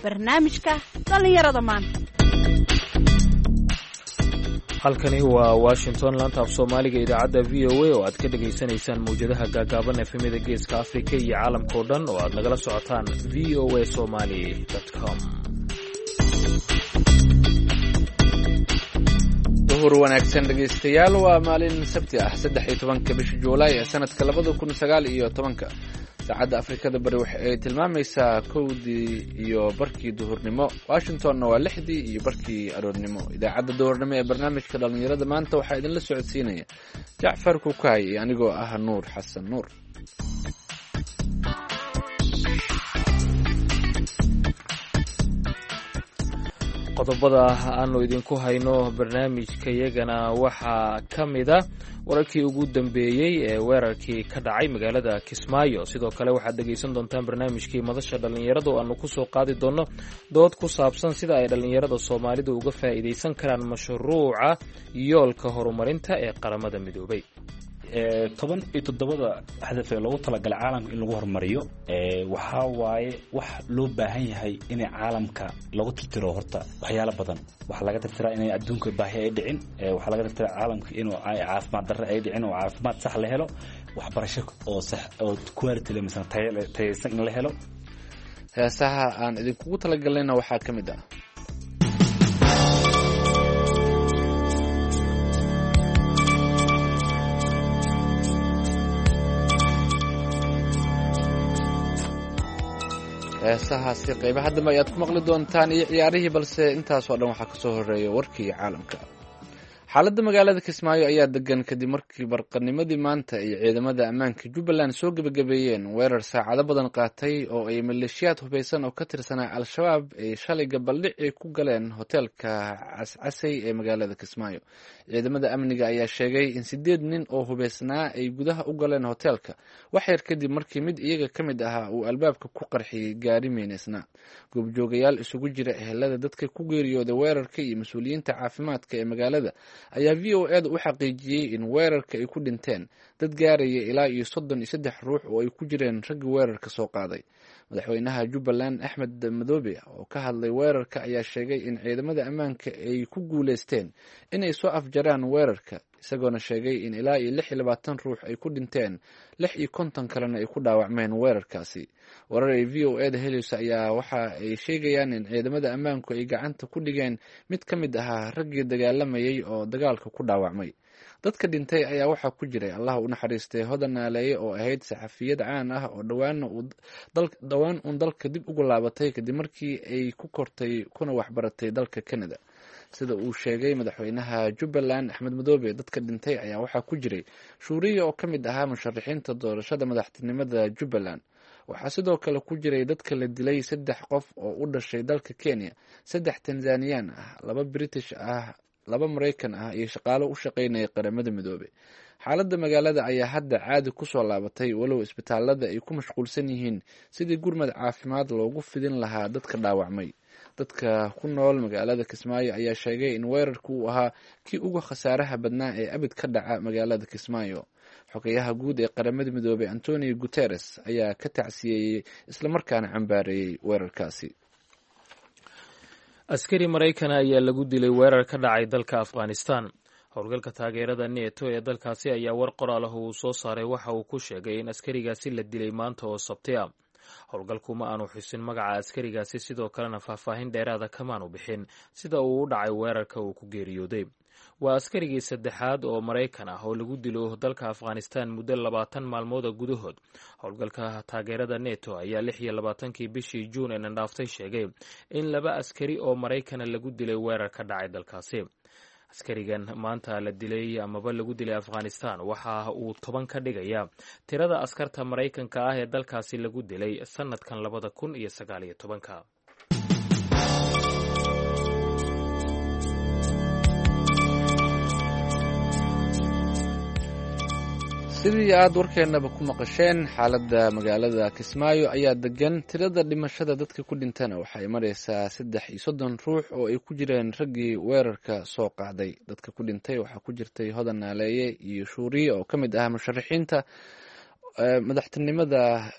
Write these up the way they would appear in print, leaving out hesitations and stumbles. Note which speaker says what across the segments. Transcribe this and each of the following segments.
Speaker 1: Barnaamijka dhallinyarada maanta.
Speaker 2: Halkani waa Washington, laanta af Soomaaliga, idaacadda VOA oo aad ka dhegaysanaysaan mawjadaha gaagaaban, FM-yada Geeska Afrika iyo caalamka oo dhan oo aad nagala socotaan voasomali.com.
Speaker 3: Duhur wanaagsan, dhegaystayaal. Waa maalin Sabti ah, 13-ka bisha Juulaay ee sanadka 2019-ka. Saacadda Afrikada Bari waxa ay tilmaamaysaa 1:30 duhurnimo, Washingtonna waa 6:30 aroornimo. Idaacadda duhurnimo ee barnaamijka dhallinyarada maanta waxaa idinla socodsiinaya Jacfar Kukaay iyo anigoo ah Nuur Xasan Nuur.
Speaker 2: Qodobada aanu idinku hayno barnaamijkayagana waxaa ka mid a wararkii ugu dambeeyey ee weerarkii ka dhacay magaalada Kismaayo. Sidoo kale waxaad dhegaysan doontaan barnaamijkii madasha dhallinyarada oo aanu kusoo qaadi doonno dood ku saabsan sida ay dhallinyarada Soomaalidu uga faa'iidaysan karaan mashruuca Yoolka Horumarinta ee Qaramada Midoobay.
Speaker 4: 17-da hadaf ee loogu talagalay caalamka in lagu horumariyo waxaa waaye wax loo baahan yahay inay caalamka lagu tirtiro. Horta waxyaalo badan waxaa laga tirtiraa inay adduunka baahi ay dhicin, waxaa laga tirtiraa caalamka inuu caafimaad darre ay dhicin oo caafimaad sax la helo, waxbarasho oo sax oo quality leh misna tayaysan in la helo.
Speaker 3: Heesaha aan idinkugu talagalnayna waxaa ka mid ah heesahaasi. Qaybaha dambe ayaad ku maqli doontaan iyo ciyaarihii, balse intaasoo dhan waxaa kasoo horeeya warkii caalamka. Xaaladda magaalada Kismaayo ayaa degan kadib markii barqanimadii maanta ay ciidamada ammaanka Jubbaland soo gebagabeeyeen weerar saacado badan qaatay oo ay maleeshiyaad hubeysan oo ka tirsanaa Al-Shabaab ay shalay gabaldhici ku galeen hoteelka Cascasey ee magaalada Kismaayo. Ciidamada amniga ayaa sheegay in sideed nin oo hubeysnaa ay gudaha u galeen hoteelka wax yar kadib markii mid iyaga ka mid ahaa uu albaabka ku qarxiyey gaari meyneysnaa. Goobjoogayaal isugu jira ehelada dadka ku geeriyooday weerarka iyo mas-uuliyiinta caafimaadka ee magaalada ayaa VOA-da u xaqiijiyey in weerarka ay ku dhinteen dad gaaraya ilaa iyo 33 ruux oo ay ku jireen raggii weerarka soo qaaday. Madaxweynaha Jubbaland, Axmed Madoobe, oo ka hadlay weerarka ayaa sheegay in ciidamada ammaanka ay ku guuleysteen inay soo afjaraan weerarka, isagoona sheegay in ilaa iyo 26 ruux ay ku dhinteen, 56 kalena ay ku dhaawacmeen weerarkaasi. Warar ay VOA-da helayso ayaa waxa ay sheegayaan in ciidamada ammaanku ay gacanta ku dhigeen mid ka mid ahaa raggii dagaalamayay oo dagaalka ku dhaawacmay. Dadka dhintay ayaa waxaa ku jiray, Allah u naxariistay, Hodan Naaleeye oo ahayd saxafiyad caan ah oo dhowaan uun dalka dib ugu laabatay kadib markii ay ku kortay kuna waxbaratay dalka Canada, sida uu sheegay madaxweynaha Jubbaland, Axmed Madoobe. Dadka dhintay ayaa waxaa ku jiray Shuuriya oo ka mid ahaa musharaxiinta doorashada madaxtinimada Jubbaland. Waxaa sidoo kale ku jiray dadka la dilay saddex qof oo u dhashay dalka Kenya, saddex Tanzaniyaan ah, laba British ah, laba Maraykan ah iyo shaqaalo u shaqaynaya Qaramada Midoobey. Xaaladda magaalada ayaa hadda caadi kusoo laabatay, walow isbitaalada ay ku mashquulsan yihiin sidii gurmad caafimaad loogu fidin lahaa dadka dhaawacmay. Dadka ku nool magaalada Kismaayo ayaa sheegay in weerarku uu ahaa kii ugu khasaaraha badnaa ee abid ka dhaca magaalada Kismaayo. Xogayaha guud ee Qaramada Midoobey, Antonio Guteres, ayaa ka tacsiyeeyey islamarkaana cambaareeyey weerarkaasi.
Speaker 2: Askari Maraykana ayaa lagu dilay weerar ka dhacay dalka Afghanistan. Howlgalka taageerada Neto ee dalkaasi ayaa war qoraal ah uu soo saaray waxa uu ku sheegay in askarigaasi la dilay maanta oo Sabti ah. Howlgalku ma aanu xusin magaca askarigaasi, sidoo kalena faahfaahin dheeraada kamaanu bixin sida uu u dhacay weerarka uu ku geeriyooday. Waa askarigii saddexaad oo Maraykan ah oo lagu dilo dalka Afghanistan muddo 20 maalmooda gudahood. Howlgalka taageerada Neto ayaa 26-kii bishii Juun ee nandhaaftay sheegay in laba askari oo Maraykana lagu dilay weerar ka dhacay dalkaasi. Askarigan maanta la dilay amaba lagu dilay Afghanistan waxa uu 10 ka dhigaya tirada askarta Maraykanka ah ee dalkaasi lagu dilay sanadkan 2019-ka.
Speaker 3: Sidii aad warkeennaba ku maqasheen, xaaladda magaalada Kismaayo ayaa degan. Tirada dhimashada dadka ku dhintana waxay maraysaa 33 ruux oo ay ku jireen raggii weerarka soo qaaday. Dadka ku dhintay waxaa ku jirtay Hodan Naaleeye iyo Shuuriye oo ka mid ah musharaxiinta madaxtinimada.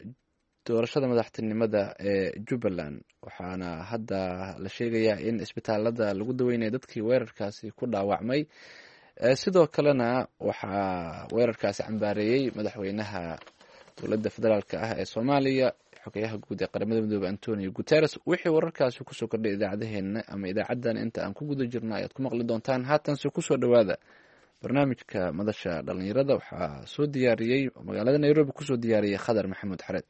Speaker 3: Doorashada madaxtinimada ee Jubbaland, waxaana hadda la sheegayaa in isbitaalada lagu daweynaya dadkii weerarkaasi ku dhaawacmay. Sidoo kalena waxaa weerarkaasi cambaareeyey madaxweynaha dowladda federaalk ah ee Soomaaliya, xogeyaha guud ee Qaramada Midoobey Antonio Guterres. Wixii wararkaasi kusoo kordhay idaacadeheena ama idaacaddan inta aan ku guda jirno ayaad ku maqli doontaan. Haatanse kusoo dhowaada barnaamijka Madasha Dhalinyarada. Waxaa soo diyaariyey, magaalada Nairobi kusoo diyaariyey, Khadar Maxamuud Xareed.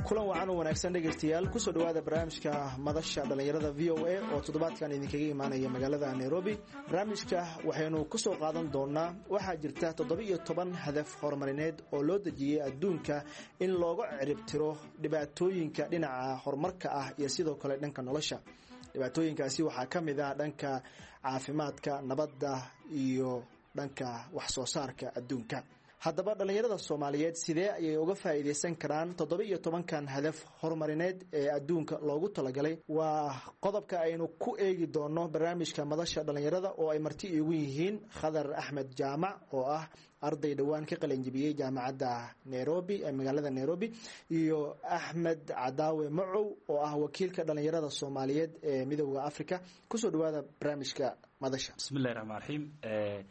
Speaker 5: Kulan wacan oo wanaagsan, dhegaystayaal. Kusoo dhawaada barnaamijka Madasha Dhallinyarada VOA oo toddobaadkan idinkaga imaanaya magaalada Nairobi. Barnaamijka waxaynu kusoo qaadan doonaa, waxaa jirta 17 hadaf horumarineed oo loo dejiyey adduunka in looga ciribtiro dhibaatooyinka dhinaca horumarka ah iyo sidoo kale dhanka nolosha. Dhibaatooyinkaasi waxaa ka mid ah dhanka caafimaadka, nabadda iyo dhanka wax soo saarka adduunka. Haddaba dhallinyarada Soomaaliyeed sidee ayay uga faa'iidaysan karaan 17-kan hadaf horumarineed ee adduunka loogu talagalay? Waa qodobka aynu ku eegi doono barnaamijka Madasha Dhallinyarada oo ay marti iigu yihiin Khadar Axmed Jaamac oo ah arday dhowaan ka qalinjibiyey Jaamacadda Nairobi ee magaalada Nairobi, iyo Axmed Cadaawe Macow oo ah wakiilka dhallinyarada Soomaaliyeed ee Midooda Africa. Kusoo dhawaada barnaamijka Madasha.
Speaker 4: Bismillahi raxmaan raxiim.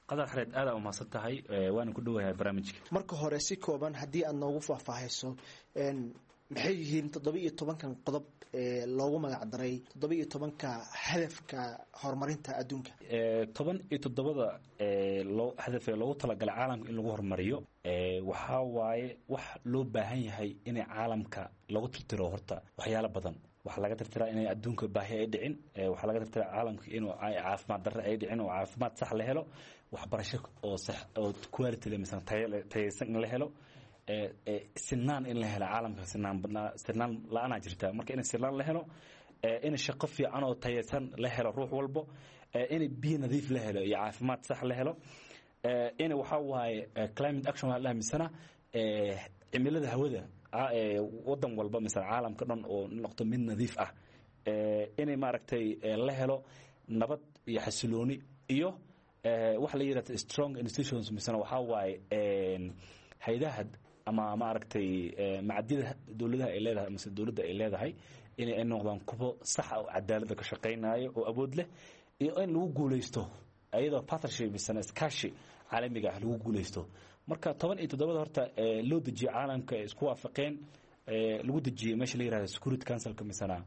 Speaker 4: Qadar Xareed, aada umahadsan tahay, waana ku dhowahay barnaamijka.
Speaker 5: Marka hore, si kooban haddii aad noogu faahfaahayso, maxay yihiin 17-kan qodob ee loogu magac daray 17-ka hadafka horumarinta adduunka?
Speaker 4: 17-da loo hadafee loogu talagalay caalamka in lagu horumariyo, waxaa waaye wax loo baahan yahay inay caalamka lagu tirtiro horta waxyaalo badan. Waxaa laga tirtiraa inay adduunka baahi ay dhicin, waxaa laga tirtiraa caalamka inuu caafimaad darre ay dhicin oo caafimaad sax la helo, waxbarasho oo sax oo quality leh misana tayaysan in la helo, sinaan in la helo caalamka. Sinaan badnaa, sinaan la-aanaa jirta, marka in sinaan la helo, in shaqo fiican oo tayaysan la helo ruux walbo, in biyo nadiif la helo iyo caafimaad sax la helo, in waxaa waaye climate action waxaa la misana cimilada hawada wadan walba misana caalamka dhan oo noqdo mid nadiif ah, inay maaragtay la helo nabad iyo xasilooni, iyo waxa la yidhahda strong institutions, misana waxaa waaye haydaha ama maaragtay macadyada dowladaha ay leedahay mise dowladda ay leedahay inay ay noqdaan kuwo sax ah oo cadaaladda ka shaqaynayo oo awood leh, iyo in lagu guuleysto iyadoo partnership misana iskaashi caalamiga ah lagu guuleysto. Marka 17-da horta loo dejiyo caalamka ay isku waafaqeen, lagu dejiyey meesha la yihahdo Security Councilka misana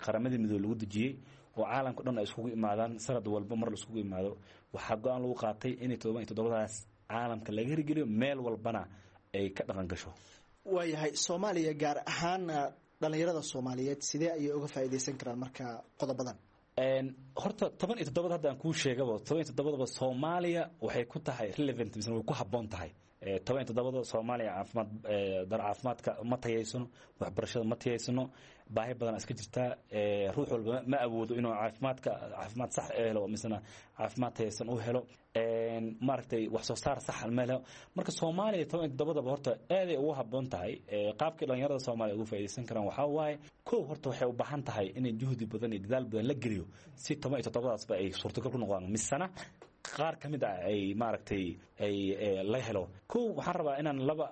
Speaker 4: Qaramada Midoobe lagu dejiyey oo caalamka dhan ay iskugu imaadaan sanad walba mar la iskugu imaado, waxaa go-aan lagu qaatay inay 17-daas caalamka laga hirgeliyo, meel walbana ay ka dhaqan gasho.
Speaker 5: Waayahay, Soomaaliya gaar ahaan dhalinyarada Soomaaliyeed sidee ayay uga faa'iidaysan karaan marka qodobadan?
Speaker 4: Horta 17-da hadda aan kuu sheegaba, 17-daba Soomaaliya waxay ku tahay relevant misna way ku habboon tahay. 17-da Soomaaliya caafimaad dar caafimaadka ma tayaysano, waxbarashada ma tayaysano, baahi badan iska jirtaa. Ruux walba ma awoodo inuu caafimaadka caafimaad sax helo misna caafimaad tayaysan u helo, maaragtay wax soo saar sax ma helo. Marka Soomaaliya 17-daba horta aaday ugu habboon tahay. Qaabkii dhalinyarada Soomaaliya ugu faa'iidaysan karaan waxaa waaye, kow, horta waxay u baahan tahay inay juhdi badan iyo dadaal badan la geliyo si 17-daasba ay suurtagal ku noqdaan, misana qaar ka mid ah ay maaragtay ay la helo. Kow, waxaan rabaa inaan laba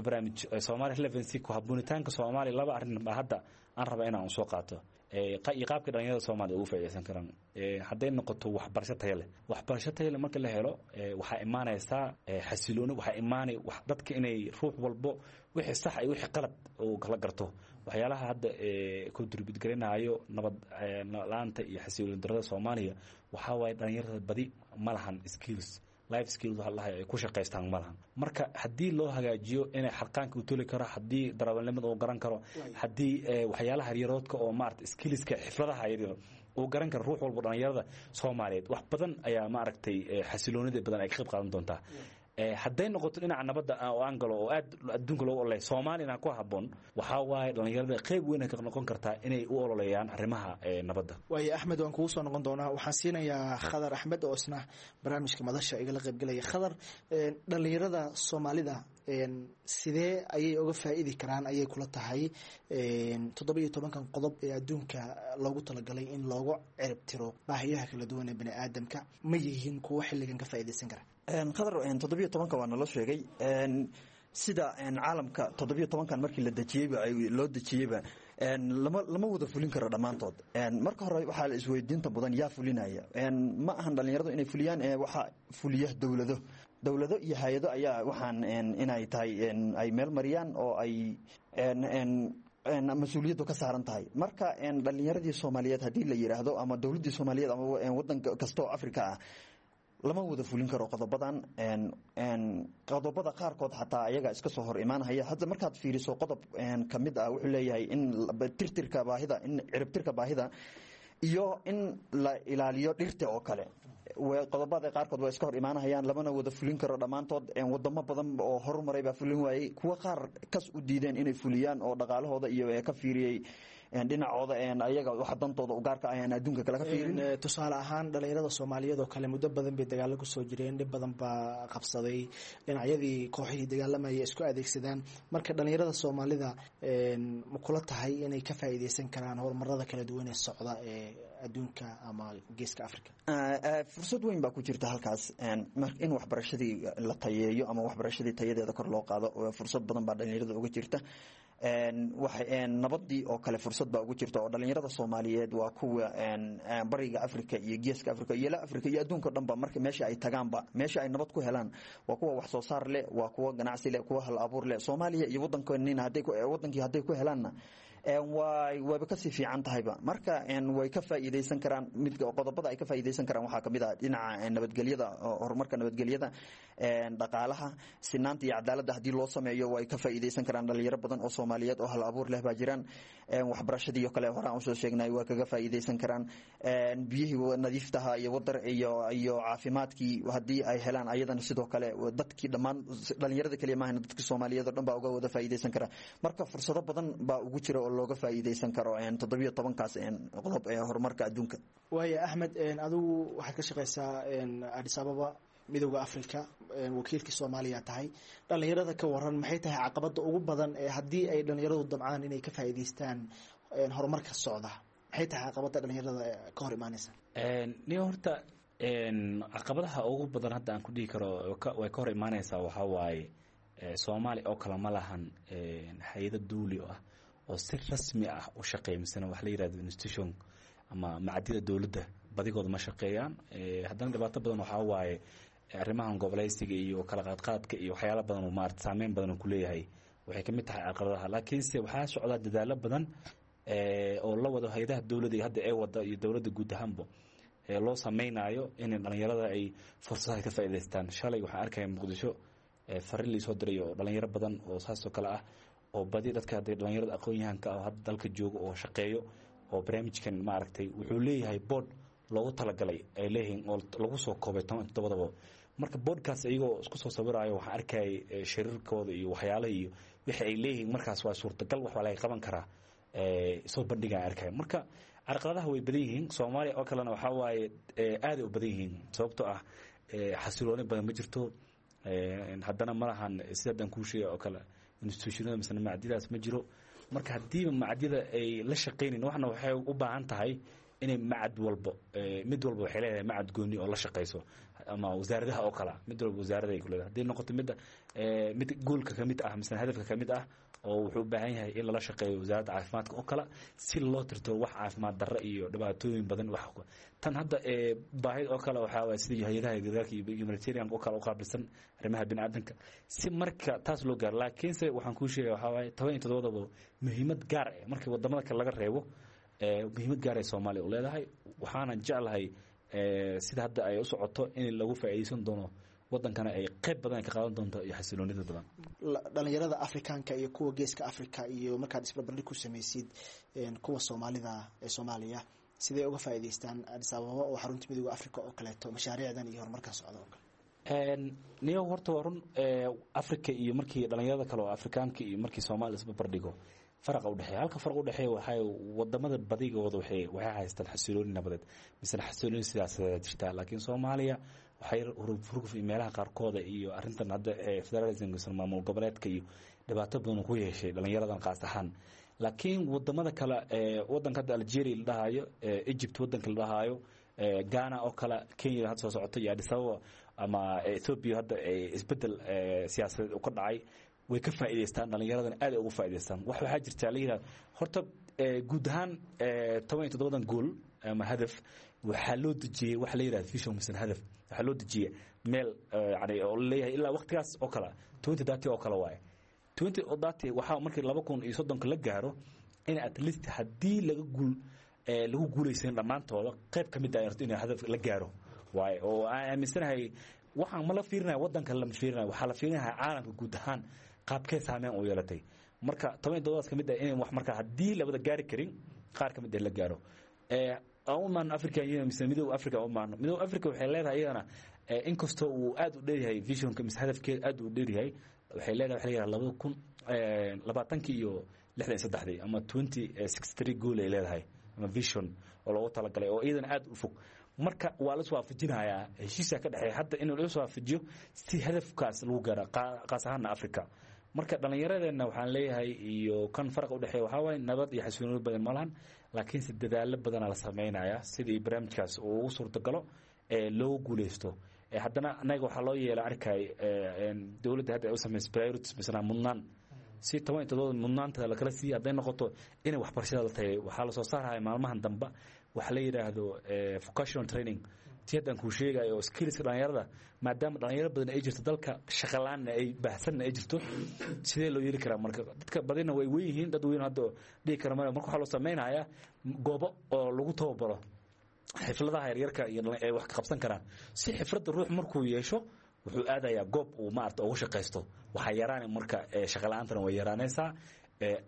Speaker 4: barnaamij Soomaaliya relevancy ku habboonitaanka Soomaaliya, laba arrin baa hadda aan rabaa inaan soo qaato iyo qaabka dhalinyarada Soomaaliya ugu faa'iidaysan karaan. Hadday noqoto waxbarasho tayo leh, waxbarasho tayo leh marka la helo, waxaa imaanaysaa xasilooni, waxaa imaanay dadka inay ruux walbo wixii sax iyo wixii qalad uu kala garto. Waxyaalaha hadda contribute garanayo nabad la-aanta iyo xasilooni darrada Soomaaliya waxaa waaye dhalinyarada badi ma lahan skills, life skills waxa lahay ay ku shaqaystaan ma lahan. Marka haddii loo hagaajiyo inay xarqaanka u toli karo, haddii darawalnimada uu garan karo, haddii waxyaalaha yaryaroodka oo maaragtay skillska xifladaha yaryar uu garan karo ruux walba dhalinyarada Soomaaliyeed, wax badan ayaa maaragtay xasiloonida badan ay ka qayb qaadan doontaa. Hadday noqoto dhinaca nabadda oo aan galo oo aad adduunka loogu ololeeya, Soomaaliyana ku habboon, waxaa waaye dhalinyarada qayb weyn ay ka noqon kartaa inay u ololeeyaan arrimaha nabadda.
Speaker 5: Waayo Axmed, waan kugu soo noqon doonaa. Waxaan siinayaa Khadar Axmed oo isna barnaamijka madasha igala qaybgelaya. Khadar, dhalinyarada Soomaalida sidee ayay uga faa'iidi karaan ayay kula tahay 17-kan qodob ee adduunka loogu talagalay in loogu cirib tiro baahiyaha kala duwan ee bani aadamka? Ma yihiin kuwo xilligan ka faa'iidaysan kara?
Speaker 6: Khadar, 17-ka waa naloo sheegay sida caalamka 17-kan markii la dejiyeyba loo dejiyeyba lama wada fulin karo dhammaantood. Marka hore waxaa la isweydiinta badan, yaa fulinaya? Ma ahan dhalinyaradu inay fuliyaan, waxaa fuliya dowlado iyo hay-ado ayaa waxaan inay tahay ay meel mariyaan oo ay mas-uuliyaddu ka saaran tahay. Marka dhalinyaradii Soomaaliyeed haddii la yidhaahdo ama dowladdii Soomaaliyeed ama wadan kasta oo Africa ah, lama wada fulin karo qodobadan. Qodobada qaarkood xataa ayaga iska soo hor imaanhaya. Hadda markaad fiiriso qodob ka mid ah wuxuu leeyahay in tirtirka baahida, in ciribtirka baahida iyo in la ilaaliyo dhirta oo kale. Qodobada qaarkood waa iska hor imaanahayaan, lamana wada fulin karo dhammaantood. Wadamo badan oo horumaray baa fulin waayey, kuwa qaar kas u diideen inay fuliyaan oo dhaqaalahooda iyo ka fiiriyey dhinacooda ayaga waxa dantooda ugaarka ah aan adduunka kale ka fiirin.
Speaker 5: Tusaale ahaan dhalinyarada Soomaaliyeed oo kale muddo badan bay dagaalo kusoo jireen, dhib badan baa qabsaday, dhinacyadii kooxihii dagaalamaya isku adeegsadaan. Marka dhalinyarada Soomaalida ma kula tahay inay ka faa'iideysan karaan horumarada kala duwan ee socda ee adduunka ama geeska Africa?
Speaker 6: Fursad weyn baa ku jirta halkaas in waxbarashadii la tayeeyo ama waxbarashadii tayadeeda kor loo qaado. Fursad badan baa dhalinyarada uga jirta. Nabadii oo kale fursad baa ugu jirta oo dhalinyarada Soomaaliyeed waa kuwa bariga Africa iyo geeska Africa iyo la Africa iyo adduunka o dhan ba marka meesha ay tagaanba, meesha ay nabad ku helaan, waa kuwa wax soo saar leh, waa kuwa ganacsi leh, kuwa hal abuur leh. Soomaaliya iyo wadankoonina hadday wadankii hadday ku helaanna waaba kasii fiican tahayba. Marka way ka faa'iideysan karaan. Mid qodobada ay ka faa'iideysan karaan waxaa kamid ah dhinaca nabadgelyada, horumarka nabadgelyada, dhaqaalaha, sinaanta iyo cadaaladda haddii loo sameeyo way ka faa'iideysan karaan. Dhalinyaro badan oo Soomaaliyeed oo hal abuur leh baa jiraan. Waxbarashadii oo kale horaan usoo sheegnay waa kaga faa'iideysan karaan. Biyihii nadiiftaha iyo wadar iyo caafimaadkii haddii ay helaan, ayadana sidoo kale dadkii dhammaan, dhalinyarada keliya maahan, dadkii Soomaaliyeed oo dhan baa uga wada faa'iideysan kara. Marka fursado badan baa ugu jira oo looga faa'iideysan karo 17-kaas qodob ee horumarka adduunka.
Speaker 5: Waaya Axmed, adigu waxaad ka shaqeysaa Addis Ababa, Midowda Africa, wakiilkii Soomaaliya tahay. Dhalinyarada ka waran, maxay tahay caqabada ugu badan ee haddii ay dhalinyaradu dabcaan inay ka faa'iideystaan horumarka socda, maxay tahay caqabada dhalinyarada ka hor imaaneysa?
Speaker 4: Ni horta caqabadaha ugu badan hadda aan ku dhihi karo way ka hor imaaneysaa waxaa waaye Soomaaliya oo kale ma lahan hay-ado duuli ah oo si rasmi ah u shaqeeya, misena wax la yirahdo institution ama macadyada dowladda badigooda ma shaqeeyaan. Haddana dhibaato badan waxaa waaye arrimahan goboleysiga iyo kala qaadqaadka iyo waxyaala badan oo maarata saameyn badan oo kuleeyahay, waxay ka mid tahay caqabadaha. Laakiinse waxaa socdaa dadaalo badan oo la wado hay-adaha dowladda iyo hadda ee wada iyo dowladda guud ahaanba loo sameynaayo in dhalinyarada ay fursadaha ka faa'iidaystaan. Shalay waxaan arkaya Muqdisho fariin laisoo diray oo dhalinyaro badan oo saasoo kale ah oo badi dadka hadday dhalinyarada aqoon-yahanka ah oo hadda dalka joogo oo shaqeeyo oo barnaamijkan maaragtay wuxuu leeyahay board loogu talagalay ay leeyihiin oo lagu soo koobay 17-daba. Marka boardkaas iyagoo isku soo sawiraayo waxaan arkayay shiriirkooda iyo waxyaalaha iyo wixii ay leeyihiin. Markaas waa suurtagal, wax waa laga qaban karaa, soo bandhigaan arkaya. Marka carqaladaha way badan yihiin. Soomaaliya oo kalena waxaa waaye aaday u badan yihiin, sababtoo ah xasilooni badan ma jirto. Haddana ma lahan sida haddaan kuu sheegay oo kale institutionada misena macadyadaas ma jiro. Marka haddiiba macadyada ay la shaqaynayn, waxna waxay u baahan tahay inay macad walbo, mid walba waxay leedahay macad gooni oo la shaqayso ama wasaaradaha oo kale, mid walba wasaarada ay ku leedahay. Haddii noqoto midda mid goolka ka mid ah misena hadafka ka mid ah oo wuxuu u baahan yahay in lala shaqeeyo wasaaradda caafimaadka oo kale si loo tirto wax caafimaad darro iyo dhibaatooyin badan. Wax tan hadda baahid oo kale waxaa waay sidii hay-adaha gargaarka iyo humanitarian oo kale u qaabilsan arrimaha bini'aadanka si marka taas loo gaaro. Laakiinse waxaan kuu sheegaya waxaa waaye 17-daba muhiimad gaar ah markii wadamada kale laga reebo, muhiimad gaar ay Soomaaliya u leedahay. Waxaana jeclahay sida hadda ay u socoto in lagu faa'iideysan doono, wadankana ay qayb badan ka qaadan doonto iyo xasiloonida badan.
Speaker 5: Dhalinyarada Afrikaanka iyo kuwa geeska Africa iyo markaad isbarbardhig ku samaysid kuwa Soomaalida ee Soomaaliya, sidee uga faa'iideystaan Addis Ababa oo xarunta Midowda Africa oo kaleeto mashaariicdan iyo horumarkan socda oo kale?
Speaker 4: Niyow, horta waa run, Africa iyo markii dhalinyarada kale oo Afrikaanka iyo markii Soomaaliya isbarbardhigo, faraqa udhexeeya, halka faraq udhexeeya waxay wadamada badigooda waxay haystaan xasilooni nabadeed misena xasilooni siyaasadeed jirtaa, laakiin Soomaaliya waxay hurguf iyo meelaha qaarkooda iyo arrintan hadda federalism misena maamul goboleedka iyo dhibaato badan ku yeeshay dhalinyaradan qaas ahaan. Laakiin wadamada kale, wadanka hadda Algeria la dhahayo, Egypt wadanka la dhahayo, Ghana oo kale, Kenya hadda soo socota iyo Addis Ababa ama Ethiopia hadda isbedel siyaasadeed uu ka dhacay, way ka faa'iidaystaan dhalinyaradan, aad ay ugu faa'iidaystaan. Waxaa jirta la yidhahda horta guud ahaan 17-dan goal ama hadaf waxaa loo dejiyey waxa la yidhahda vision mise hadaf. Waxaa loo dejiyey meel yani oo leeyahay ilaa waqtigaas oo kale, 2030 oo kale waaye. 2030 waxaa markii 2030-ka la gaaro in at least haddii laga guul lagu guulaysan dhammaantooda, qayb ka mid ah in hadaf la gaaro waaye, oo aan aaminsanahay. Waxaan ma la fiirinaya waddanka, lama fiirinayo, waxaa la fiirinaya caalamka guud ahaan qaabkee saameyn u yeelatay. Marka 17-daas ka mid ah in wax marka haddii labada gaari karin, qaar ka mid ah la gaaro. Aan u imaano African Union mise Midowga Africa u imaano. Midowga Africa waxay leedahay iyadana, inkastoo uu aad u dheeryahay visionka mise hadafkeeda aad u dheeryahay, waxay leedahay waxa la yidhaha 2020-kii iyo 63-dii ama 2063 goal ay leedahay ama vision oo loogu talagalay oo iyadana aad u fog. Marka waa la iswaafajinayaa, heshiiska ka dhexeeya hadda in la iswaafajiyo si hadafkaas lagu gaaro, qaas ahaana Africa. Marka dhallinyaradeenna waxaan leeyahay iyo kan faraqa udhexeeya waxaa waaye nabad iyo xasilooni badan ma lahan, laakiinse dadaalo badanaa la sameynaya sidii barnaamijkaas uu ugu suurtagalo ee loogu guuleysto. Haddana annaga waxaa loo yeela arkay dowladda hadda ay u sameysay priorities misna mudnaan, si 17-da mudnaanta lakala siiya. Hadday noqoto inay waxbarashada la tagay, waxaa lasoo saaraya maalmahan dambe waxa la yidhaahdo vocational training, ti haddaan kuu sheegayo oo skillska dhalinyarada, maadaama dhalinyaro badan ay jirto dalka, shaqalaanna ay baahsanna ay jirto. Sidee loo yeeli karaa? Marka dadka badina way weyn yihiin, dad weyn hadda dhihi kara male. Marka waxaa loo samaynayaa goobo oo lagu tababaro xifladaha yaryarka iyo ay wax ka qabsan karaan, si xifradda ruux markuu yeesho wuxuu aadayaa goob uu maarata ugu shaqaysto. Waxaa yaraanay marka shaqala-aantana way yaraanaysaa,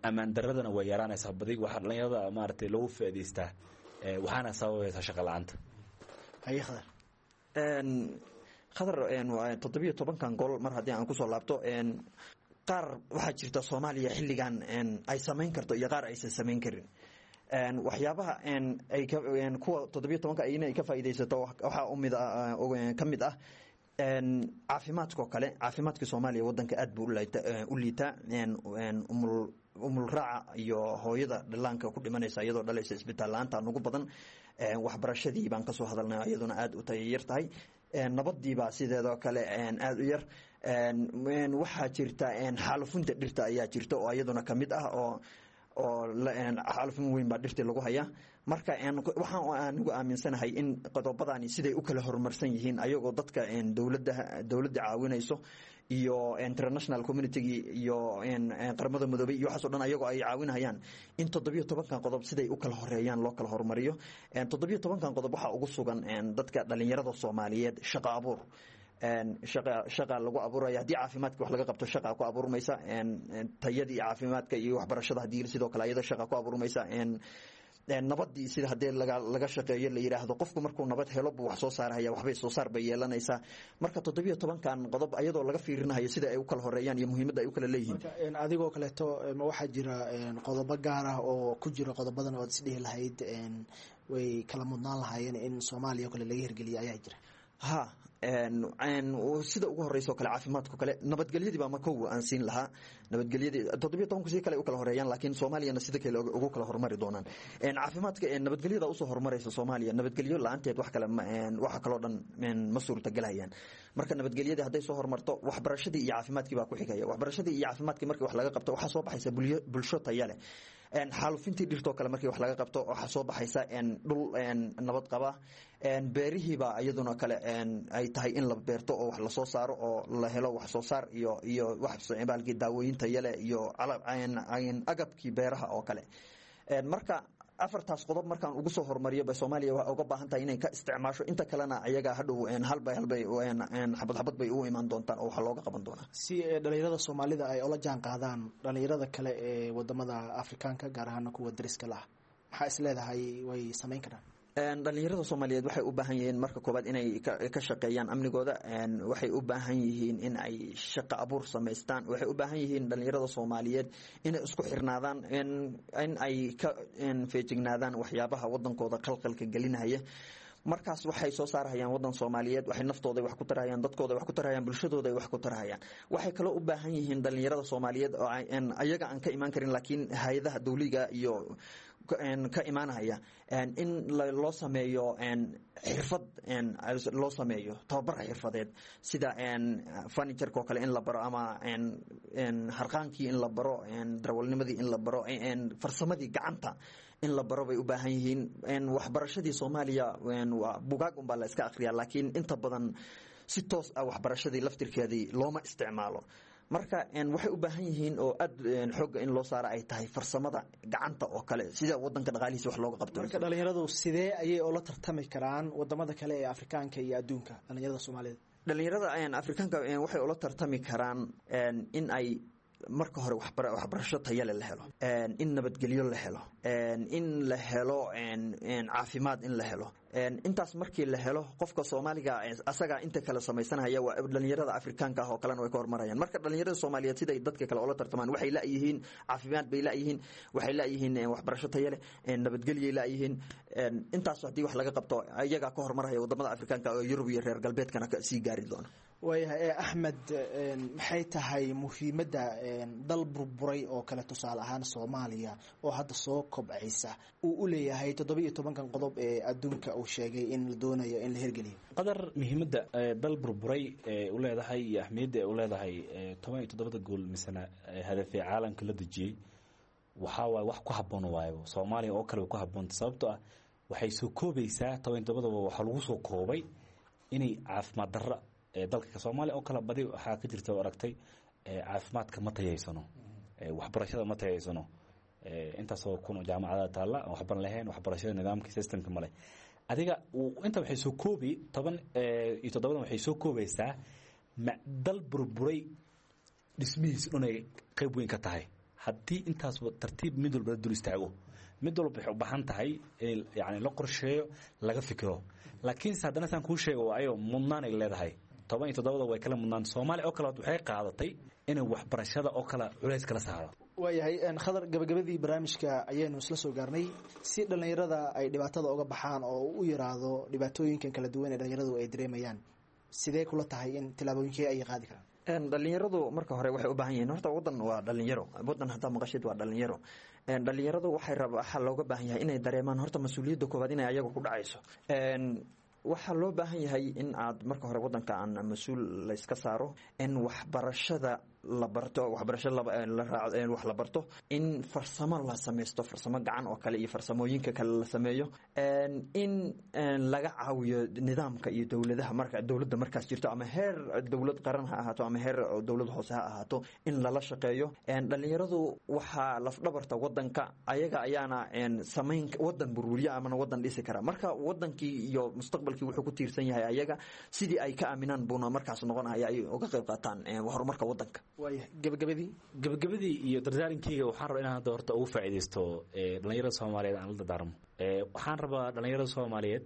Speaker 4: ammaan daradana way yaraanaysaa. Badi waxaa dhalinyarada maaragtay loogu faa'iidaystaa, waxaana sababaysaa shaqa la-aanta.
Speaker 5: Haye, Khadar.
Speaker 6: Khadar, 17-kan goal mar haddii aan kusoo laabto, qaar waxaa jirta Soomaaliya xilligan ay samayn karto iyo qaar aysan samayn karin. Waxyaabaha ay kuwa 17-ka ayna ay ka faa'iidaysato waxaa umid ka mid ah caafimaadka oo kale. Caafimaadka Soomaaliya wadanka aad buu u liitaa. Umulraaca iyo hooyada dhallaanka ku dhimanaysa iyadoo dhalaysa isbitaal la-aanta nugu badan. Waxbarashadii baan kasoo hadalnay, iyaduna aad u tayayar tahay. Nabadiibaa sideedoo kale aada u yar. Waxaa jirta xaalufinta dhirta ayaa jirta oo iyaduna kamid ah oo xaalufin weyn baa dhirtii lagu hayaa. Marka waxaan anigu aaminsanahay in qodobadani siday u kala horumarsan yihiin, ayagoo dadka dowladda caawinayso iyo international communitygii iyo Qaramada Midoobey iyo waxaas o dhan ayagoo ay caawinayaan, in 17-kan qodob siday u kala horeeyaan loo kala horumariyo. 17-kan qodob waxaa ugu sugan dadka dhalinyarada Soomaaliyeed shaqo abuur, shaqa lagu abuuraya. Haddii caafimaadka wax laga qabto, shaqa ku abuurmaysa. Tayadii caafimaadka iyo waxbarashada haddii sidoo kale ayada shaqa ku abuurmaysa. Nabadii sida haddii laga shaqeeyo, la yidhaahdo qofku markuu nabad helo buu wax soo saarhaya, waxbay soo saar bay yeelanaysaa. Marka 17-kan qodob ayadoo laga fiirinayo sida ay u kala horeeyaan iyo muhiimadda ay u kala leeyihiin.
Speaker 5: Marka adigoo kaleeto, ma waxaa jira qodobo gaar ah oo ku jira qodobadan ood isdhihi lahayd way kala mudnaan lahaayeen in Soomaaliya oo kale laga hirgeliya ayaa jira?
Speaker 6: Ha, sida ugu horeysa o kale caafimaadka kale, nabadgelyadii baa makow aan siin lahaa. Nabadgelyadii 17-ku si kale u kala horeeyaan, laakiin Soomaaliyana sida kale ugu kala horumari doonaan. Caafimaadka, nabadgelyada usoo horumaraysa Soomaaliya. Nabadgelyo la-aanteed wax kale, waxa kaloo dhan ma suurtagelayaan. Marka nabadgelyadii hadday soo horumarto, waxbarashadii iyo caafimaadkii baa ku xigaya. Waxbarashadii iyo caafimaadkii markii wax laga qabto, waxaa soo baxaysa bulsho taya leh. Xaalufintii dhirtoo kale markii wax laga qabto, waxaa soo baxaysa dhul nabad qaba. Beerihiibaa iyaduna kale ay tahay in la beerto oo wax lasoo saaro oo la helo wax soo saar iyo wax baalkii daawooyin tayale iyo agabkii beeraha oo kale. Marka afartaas qodob markaan ugu soo horumariyo ba Soomaaliya waa uga baahan tahay inay ka isticmaasho. Inta kalena ayaga hadhow halbay halbay, xabad xabad bay u imaan doontaan oo waxaa looga qaban doonaa.
Speaker 5: Si dhalinyarada Soomaalida ay ula jaan qaadaan dhalinyarada kale ee wadamada Afrikaanka, gaar ahaana kuwa dariska la ah, maxaa is leedahay way samayn karaan?
Speaker 6: Dhalinyarada Soomaaliyeed waxay u baahan yihiin marka koobaad inay ka shaqeeyaan amnigooda. Waxay u baahan yihiin in ay shaqo abuur samaystaan. Waxay u baahan yihiin dhalinyarada Soomaaliyeed inay isku xirnaadaan, in ay ka feejignaadaan waxyaabaha wadankooda qalqalka gelinaya. Markaas waxay soo saarhayaan wadan Soomaaliyeed, waxay naftooda wax ku tarahayaan, dadkooda wax ku tarahayaan, bulshadooda wax ku tarahayaan. Waxay kaloo u baahan yihiin dhalinyarada Soomaaliyeed oo ayaga aan ka imaan karin, laakiin hay-adaha dowliga iyo ka imaanaya, in loo sameeyo xirfad, loo sameeyo tababar xirfadeed, sida furnitureka oo kale in la baro, ama harqaankii in la baro, darawalnimadii in la baro, farsamadii gacanta in la baro bay u baahan yihiin. Waxbarashadii Soomaaliya waa bugaag unbaa la iska akhriyaa, laakiin inta badan si toos ah waxbarashadii laftirkeedii looma isticmaalo. Marka waxay u baahan yihiin oo aad xoogga in loo saara ay tahay farsamada gacanta oo kale, sida wadanka dhaqaalihiisa wax looga qabto.
Speaker 5: Marka dhalinyaradu sidee ayay ula tartami karaan wadamada kale ee Afrikaanka iyo adduunka, dhalinyarada Soomaaliyeed?
Speaker 6: Dhalinyarada Afrikaanka waxay ula tartami karaan in ay marka hore waxbarasho tayale la helo, in nabadgelyo la helo, in la helo caafimaad in la helo. Intaas markii la helo, qofka Soomaaliga asagaa inta kale samaysanaya, waa dhalinyarada Afrikaanka ah oo kalena way ka hormarayaan. Marka dhalinyarada Soomaaliyeed siday dadka kale ula tartamaan, waxay layihiin caafimaad bay layihiin, waxay layihiin waxbarasho tayale, nabadgelyay layihiin. Intaas haddii wax laga qabto, iyagaa ka hormaraya wadamada Afrikaanka oo Yurub iyo reer galbeedkana sii gaari doona.
Speaker 5: Waayahay Axmed, maxay tahay muhiimadda dal burburay oo kale, tusaale ahaan Soomaaliya oo hadda soo kobcaysa, uu u leeyahay 17-kan qodob ee adduunka uu sheegay in la doonayo in la hirgeliyo?
Speaker 4: Qadar, muhiimadda dal burburay ee u leedahay iyo ahmiyadda ay u leedahay 17-da gool misena hadafee caalamka la dejiyey waxaa waaye wax ku habboon waayo. Soomaaliya oo kale way ku habboonta, sababtoo ah waxay soo koobaysaa 17-daba. Waxaa lagu soo koobay inay caafimaad darra dalka Soomaaliya oo kale badi waxaa ka jirta oo aragtay, caafimaadka ma tayaysano, waxbarashada ma tayaysano. Intaasoo kun oo jaamacadaha taalla aan waxban lahayn, waxbarashada nidaamka systemka male. Adiga inta waxay soo koobi 17-dan, waxay soo koobaysaa dal burburay dhismihiis dhan ay qayb weyn ka tahay. Haddii intaas tartiib mid walba la dul istaago, mid walba waxay u baahan tahay in yani la qorsheeyo, laga fikiro. Laakiinse haddana saan kuu sheego waayo mudnaan ay leedahay. 17-da way kala mudnaan. Soomaaliya oo kale waxay qaadatay inay waxbarashada oo kale culays kala saaro.
Speaker 5: Waayahay Khadar, gabagabadii barnaamijka ayaynu isla soo gaarnay. Si dhalinyarada ay dhibaatada uga baxaan oo u yaraado dhibaatooyinkan kala duwan ee dhalinyaradu ay dareemayaan, sidee kula tahay in tillaabooyinkee ay qaadi karaan?
Speaker 6: Dhalinyaradu marka hore waxay u baahan yihiin, horta wadan waa dhalinyaro, wadan haddaa maqashid waa dhalinyaro. Dhalinyaradu waxay rab waxaa looga baahan yahay inay dareemaan horta mas-uuliyadda koowaad inay ayaga ku dhacayso. Waxaa loo baahan yahay in aad marka hore wadanka aan mas-uul layska saaro, in waxbarashada la barto, waxbarasho la raaco, wax la barto, in farsamo la samaysto, farsamo gacan oo kale iyo farsamooyinka kale la sameeyo, in laga caawiyo nidaamka iyo dowladaha marka dowladda markaas jirto, ama heer dowlad qaran ha ahaato ama heer dowlad hoose ha ahaato, in lala shaqeeyo. Dhalinyaradu waxaa lafdhabarta wadanka, ayaga ayaana samayn wadan burburiya amana wadan dhisi kara. Marka wadankii iyo mustaqbalkii wuxuu ku tiirsan yahay ayaga, sidii ay ka aaminaan buuna markaas noqonaya ay uga qayb qaataan horumarka wadanka.
Speaker 5: Waayahay, gabagabadii.
Speaker 4: Gabagabadii iyo dardaarankeyga, waxaan rabaa inaan hadda horta ugu faa'iidaysto dhalinyarada Soomaaliyeed aan la dardaarmo. Waxaan rabaa dhalinyarada Soomaaliyeed,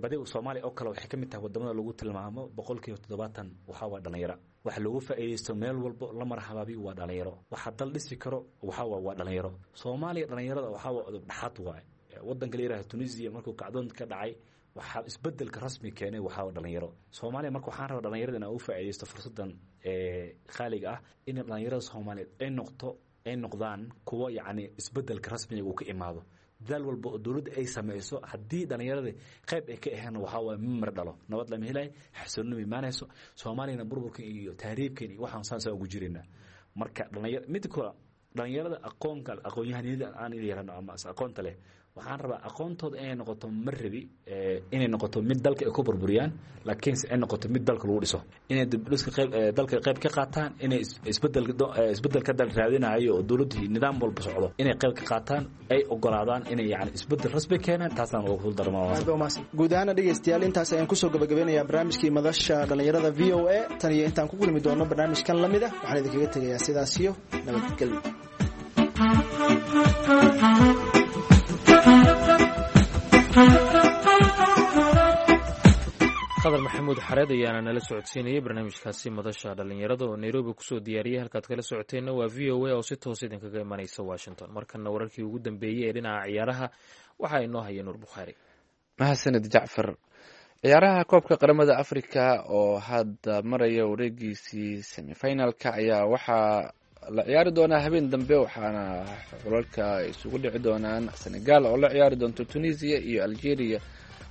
Speaker 4: badi Soomaaliya oo kale waxay ka mid tahay wadamada lagu tilmaamo 70% waxaa waa dhalinyaro. Waxa loogu faa'iidaysto meel walbo la marxabaabiyo waa dhalinyaro. Waxa dal dhisi karo waxaa waa dhalinyaro. Soomaaliya dhalinyarada waxaa waa udub dhaxaad waaye. Wadanka la yidhahdo Tunisia markuu kacdoon ka dhacay, waxaa isbedelka rasmi keenay waxaa dhalinyaro Soomaaliya. Marka waxaan rabaa dhalinyarada inaan ugu faa'iidaysto fursaddan khaaliga ah, in dhalinyarada Soomaaliyeed ay noqto, ay noqdaan kuwo yacni isbedelka rasmiga uu ka imaado. Dadaal walba oo dowladda ay samayso, haddii dhalinyarada qayb ay ka aheen, waxaa waaye ma mar dhalo nabad lama helayo, xasilooni ma imaanayso. Soomaaliyana burburkan iyo tahriibkan iyo waxaan saasa ugu jiraynaa. Marka dhalinyar mid kale, dhalinyarada aqoonka aqoon-yahaniyada aan yarano ama aqoonta leh, waxaan rabaa aqoontooda inay noqoto, ma rabi inay noqoto mid dalka ay ku burburiyaan, laakiinse ay noqoto mid dalka lagu dhiso, inay dibdhiska qayb dalka qayb ka qaataan, inay isbedel isbedel ka dal raadinayo oo dowladdu nidaam walba socdo inay qayb ka qaataan, ay ogolaadaan inay yani isbedel rasmi keenaan. Taasaan ugu darmaa.
Speaker 5: Guud ahaana dhegeystayaal, intaas ayaan kusoo gabagabeynayaa barnaamijkii madasha dhalinyarada VOA. Tan iyo intaan ku kulmi doono barnaamijkan lamid ah, waxaan idinkaga tegayaa sidaas iyo nabadgelyo.
Speaker 2: Khadar Maxamuud Xareed ayaana nala socodsiinayay barnaamijkaasi madasha dhallinyarada oo Nairobi kusoo diyaariyay. Halkaad kala socoteenna waa VOA oo si toos idinkaga imanaysa Washington. Markana wararkii ugu dambeeyey ee dhinaca ciyaaraha waxaa inoo haya Nuur Bukhaari.
Speaker 3: Mahadsanid, Jacfar. Ciyaaraha koobka qaramada Africa oo hadda maraya wareegiisii semifinalka ayaa waxaa la ciyaari doonaa habeen dambe, waxaana xulalka isugu dhici doonaan Senegal oo la ciyaari doonto Tunisia iyo Algeria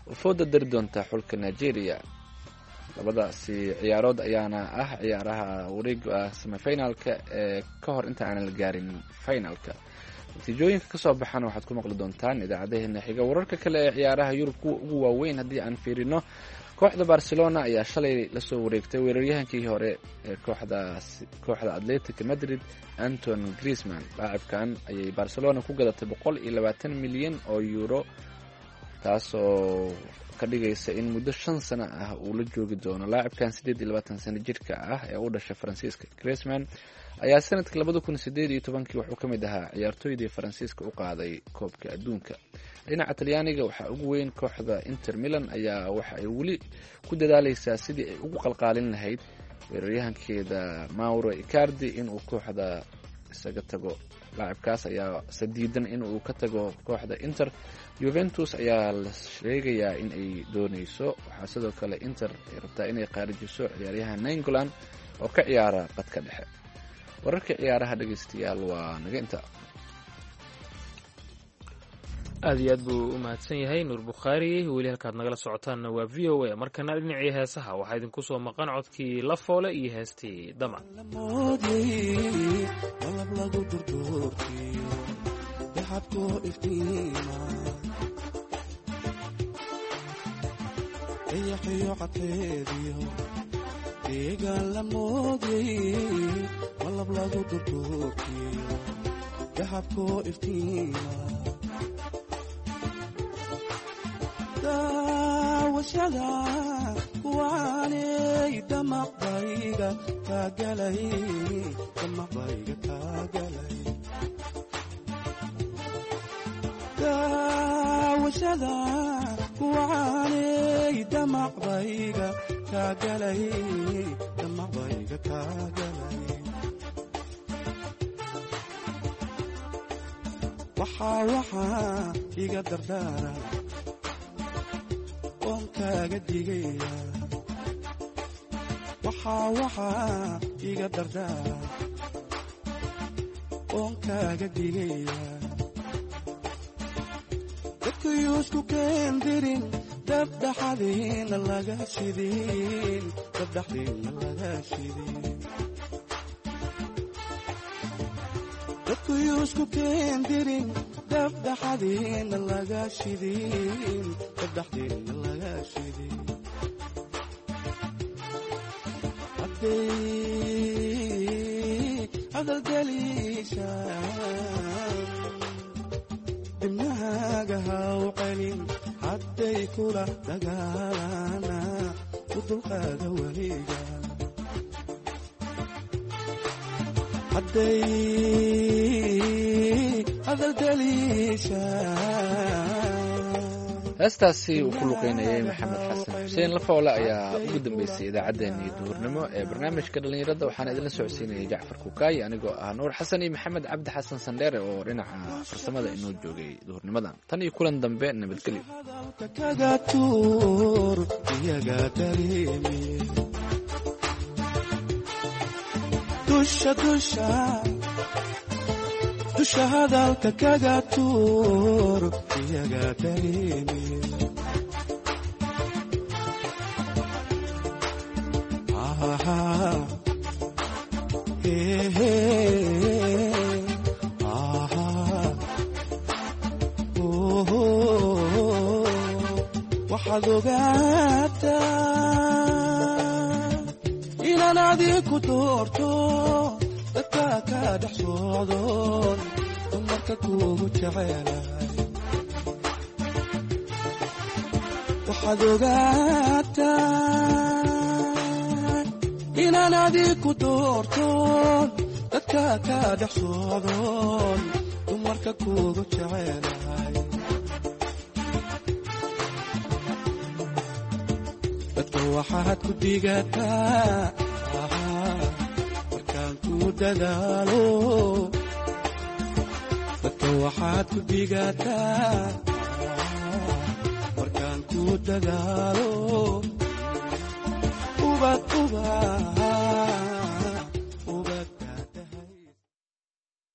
Speaker 3: oo fooda dari doonta xulka Nigeria. Labadaasi ciyaarood ayaana ah ciyaaraha wareega semifinalka ee ka hor inta aanan la gaarin finalka. Natiijooyinka kasoo baxana waxaad ku maqli doontaan idaacadaheena xiga. Wararka kale ee ciyaaraha Yurub kuwa ugu waaweyn haddii aan fiirino, kooxda Barcelona ayaa shalay lasoo wareegtay weeraryahankii hore ee kooxda Atletic Madrid, Anton Griezmann. Laacibkan ayay Barcelona ku gadatay 120 milyan oo euro, taasoo ka dhigaysa in muddo 5 sano ah uu la joogi doono laacibkan 28 sano jirka ah ee u dhashay Faransiiska. Griezmann ayaa sanadkii 2018-kii wuxuu ka mid ahaa ciyaartooydii Faransiiska u qaaday koobka adduunka. Dhinaca Talyaaniga waxaa ugu weyn kooxda Inter Milan ayaa waxa ay weli ku dadaaleysaa sidii ay ugu qalqaalin lahayd weeraryahankeeda Mauro Icardi inuu kooxda isaga tago. Laacibkaas ayaa sadiidan inuu ka tago kooxda Inter. Juventus ayaa la sheegayaa in ay dooneyso. Waxaa sidoo kale Inter ay rabtaa inay qaarijiso ciyaaryahan Nainggolan oo ka ciyaara qadka dhexe. Wararka ciyaaraha, dhegeystayaal, waa naga inta.
Speaker 2: Aad iyo aad buu u mahadsan yahay Nuur Bukhaari. Weli halkaad nagala socotaanna waa VOA. Markana dhinacii heesaha waxaa idinku soo maqan codkii La Foole iyo heestii Damac.
Speaker 7: Malab lagu durduurkiyo daxabkoo iftiima, dayaxiyo cadkeediyo deegaan la moodyay. Malab lagu durduurkiyo daxabkoo iftiima, daawashada kuwaaney damaqbayga kaagalay, damaqbayga kaagalay. Daawashada kuwaaney damaqbayga kaagalay, damaqbayga kaagalay. Waxaa iga dardaaran oon kaaga digaya, waxaa iga dardaaran oon kaaga digaya, dadkayuusku keendirin dabdhaxadiina laga shidin, dabdhaxdiina laga shidin. Dadkuyuusku keendirin dabdhaxadiina laga shidin, dabdhaxdiina laga shidin. Hadday hadalgeliishaan dibnahaaga ha u celin, hadday kula dagaalana u dulqaada weliga. Hadday hadalgeliishaan.
Speaker 3: Heestaasi uu ku luqeynayay Maxamed Xasan Xuseen Lafoole ayaa ugu dambeysay idaacaddeenii duhurnimo ee barnaamijka dhallinyarada. Waxaana idinla socodsiinayay Jacfar Kukaay, anigoo ah Nuur Xasan, iyo Maxamed Cabdi Xasan Sandheere oo dhinaca farsamada inoo joogay duhurnimadan. Tan iyo kulan dambe, nabadgelyo.
Speaker 7: Hadalka kaga tuur iyaga dareemi, dusha dusha dusha hadalka kaga tuur iyaga dareemi. Aha, hey, hey, aha, oh, oh, waxaad ogaataa inaan adiku doorto, dadka ka dhex socdoon dumarka kuugu jecelahay. Waxaad ogaataa inaan adiku doortoon, dadka ka dhex socdoon dumarka kuugu jecelahay. Dadka Waxaad ku dhigataa markaan ku dadaalo. Dadka waxaad ku dhigataa markaan ku dadaalo. Ubad ubad.